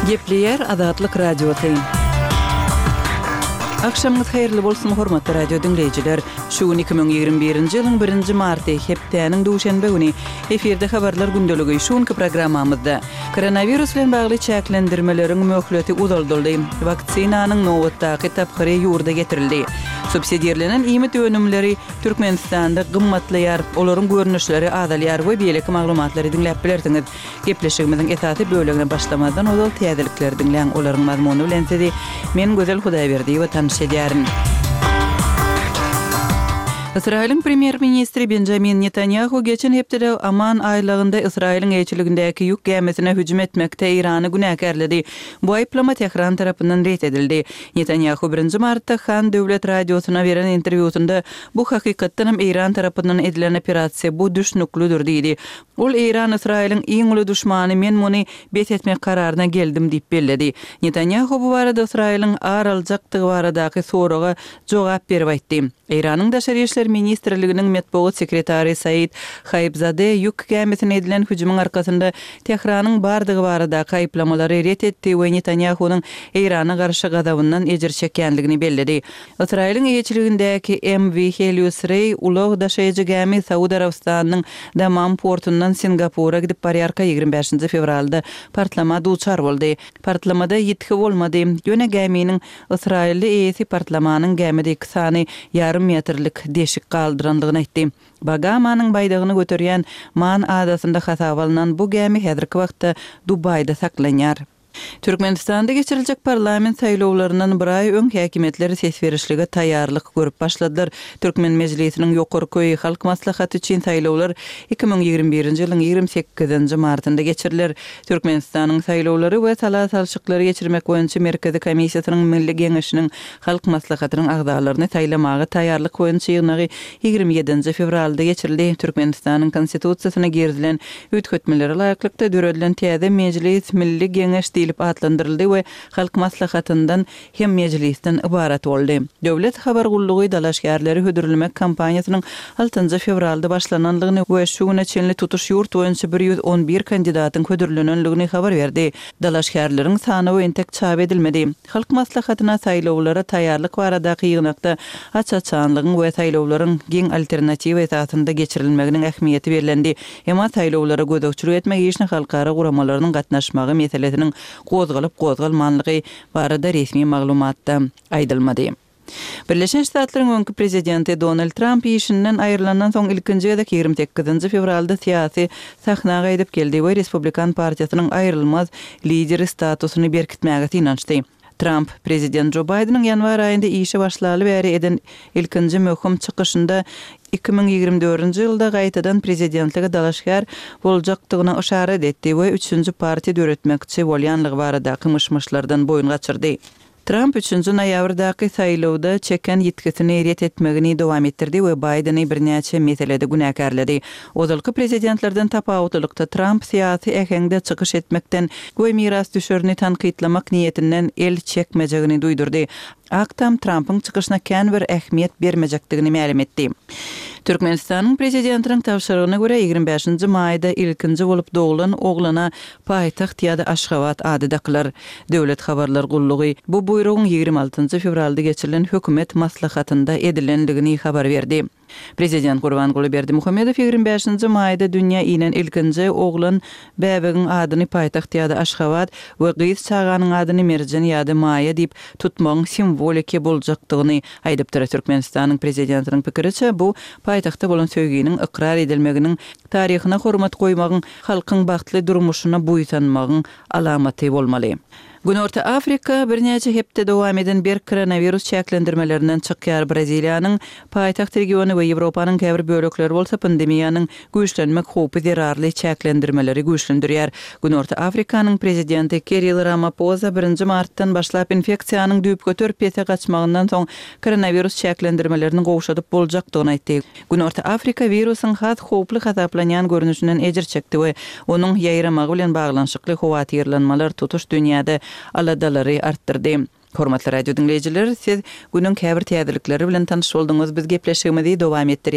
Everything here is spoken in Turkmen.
Gepleýär Azatlyk Radiosy. Agşamyňyz haýyrly bolsun, hormatly radio diňleýjiler! Şu gün 2021-nji ýylyň birinji marty, hepdäniň duşenbe güni. Efirde habarlar gündeligi. Şu günki programmamyzda, Koronawirus bilen bagly çäklendirmeleriň möhleti uzaldyldy. Waksinanyň nobatdaky tapgyry ýurda getirildi. Subsidirlenen iýmit önümleri Türkmenistanda gymmatlaýar, olaryň görnüşleri azalýar we beýleki maglumatlary diňläp bilersiňiz. Gepleşigimiziň esasy bölegine başlamazdan ozal täzelikleri diňläň, olaryň mazmuny bilen sizi men Gözel Hudaýberdiýewa tanyş edýärin. Ysraýylyň premýer-ministri Benjamin Netanýahu geçen hepdede Oman aýlagynda Ysraýylyň eýeçiligindäki ýük gämisine hüjüm etmekde Eýrany günäkärledi. Bu aýyplama Tähran tarapyndan ret edildi. Netanýahu birinji martda Kan döwlet radiosyna beren interwýusynda Bu hakykatdanam Eýran tarapyndan edilen operasiýa, bu düşnüklidir diýdi. Ol Eýran Ysraýylyň iň uly duşmany, men muny bes etmek kararyna geldim diýip belledi. Netanýahu bu barada Ysraýylyň ar aljakdygy baradaky soraga jogap berip aýtdy. Eýranyň Daşary işler ministrliginiň metbugat sekretary Said Haibzade ýük gämisine edilen hüjümiň arkasynda Tähranyň bardygy baradaky aýyplamalary ret etdi we Netanýahunyň Eýrana garşy gazabyndan ejir çekýändigini belledi. Ysraýylyň eýeçiligindäki MV Helios Ray ulag daşaýjy gämi Saud Arabystanynyň Damam portundan Singapura gidip barýarka 25 fewralda partlama duçar boldy. Partlamada ýitgi bolmady, ýöne gäminiň ysraýylly eýesi partlamanyň gämide iki sany ýarym metrlik deşik galdyrandygyny aýtdy. Bagamanyň baýdagyny göterýän Man adasynda hasaba alnan bu gämi häzirki wagtda Dubaýda saklanýar. Türkmenistanda geçiriljek parlament saýlawlaryndan bir aý öň häkimiýetler ses berişlige taýýarlyk görüp başladylar. Türkmen Mejlisiniň ýokarky öýi, Halk Maslahaty üçin saýlawlar 2021-nji ýylyň 28-nji martynda geçiriler. Türkmenistanyň Saýlawlary we sala salşyklary geçirmek boýunça Merkezi komissiýasynyň Milli Geňeşiniň Halk Maslahatynyň agzalaryny saýlamaga taýýarlyk boýunça ýygnagy 27-nji fewralda geçirildi. Türkmenistanyň Konstitusiýasyna girizilen üýtgetmelere laýyklykda döredilen täze Mejlis Milli Geňeş diýlip atlandyryldy we Halk Maslahatyndan hem Mejlisden ybarat boldy. Döwlet habar gullugy dalaşgärleri hödürlemek kampaniýasynyň altynjy fewralda başlanandygyny we şu güne çenli tutuş ýurt boýunça 111 kandidatyň hödürlenendigini habar berdi. Dalaşgärleriň sanawy entek çap edilmedi. Halk Maslahatyna saýlawlara taýýarlyk baradaky ýygnakda aç-açanlygyň we saýlawlaryň giň alternatiwa esasynda geçirilmeginiň ähmiýeti bellendi. Emma saýlawlara gözegçilik etmek işine halkara guramalarynyň gatnaşmagy meselesiniň gozgalyp-gozgalmanlygy barada resmi maglumatda aýdylmady. Birleşen Ştatlaryň öňki prezidenti Donald Tramp işinden aýrylandan soň ilkinji gezek 28-nji fewralda syýasy sahna gaýdyp geldi we Respublikan partiýasynyň aýrylmaz lideri statusyny berkitmäge synanyşdy. Tramp, prezident Jo Baýdeniň ýanwar aýynda işe başlaly bäri eden ilkinji möhüm çykyşynda 2024-nji ýylda gaýtadan prezidentlige dalaşgär boljakdygyna yşarat etdi we üçünji partiýa döretmekçi bolýanlygy baradaky myş-myşlardan boýun gaçyrdy. Tramp üçünji noýabrdaky saýlawda çeken ýitgisini ret etmegini dowam etdirdi we Baýdeni birnäçe meselede günäkärledi. Ozalky prezidentlerden tapawutlylykda, Tramp syýasy äheňde çykyş etmekden we mirasdüşerini tankytlamak niýetinden el çekmejegini duýdurdy. Ak Tam Trampyň çykyşyna kän bir ähmiýet bermejekdigini mälim etdi. Türkmenistanyň Prezidentiniň tabşyrygyna görä, 25-nji maýda ilkinji bolup doglan oglana Paýtagt ýa-da Aşgabat ady dakylar. Döwlet habarlar gullugy bu buýrugyň 26-njy fewralda geçirilen hökümet maslahatynda edilendigini habar berdi. Prezident Gurbanguly Berdimuhamedow 25-nji maýda dünýä inen ilkinji oglan bäbegiň adyny Paýtagt ýa-da Aşgabat we gyz çaganyň adyny Merjen ýa-da Maýa diýip tutmagyň simwoliki boljakdygyny aýdypdyr. Türkmenistanyň Prezidentiniň pikiriçe, bu paýtagta bolan söýginiň ykrar edilmeginiň, taryhyna hormat goýmagyň, halkyň bagtly durmuşyna buýsanmagyň alamaty bolmaly. Günorta Afrika birnäçe hepde dowam eden berk koronawirus çäklendirmelerinden çykýar. Braziliýanyň paýtagt regiony we Ýewropanyň käbir bölekleri bolsa pandemiýanyň güýçlenmek howpy zerarly çäklendirmeleri güýçlendirýär. Günorta Afrikanyň prezidenti Kiril Ramapoza birinji martdan başlap infeksiýanyň düýpgöter pese gaçmagyndan soň koronawirus çäklendirmelerini gowşadyp boljakdygyny aýtdy. Günorta Afrika wirusyň has howply hasaplanýan görnüşinden ejir çekdi we onuň ýaýramagy bilen baglanyşykly howatyrlanmalar tutuş dünýäde aladalary artdyrdy. Hormatly radio diňleýjiler, siz günüň käbir täzelikleri bilen tanyş bolduňyz, biz gepleşigimizi dowam etdirýäris.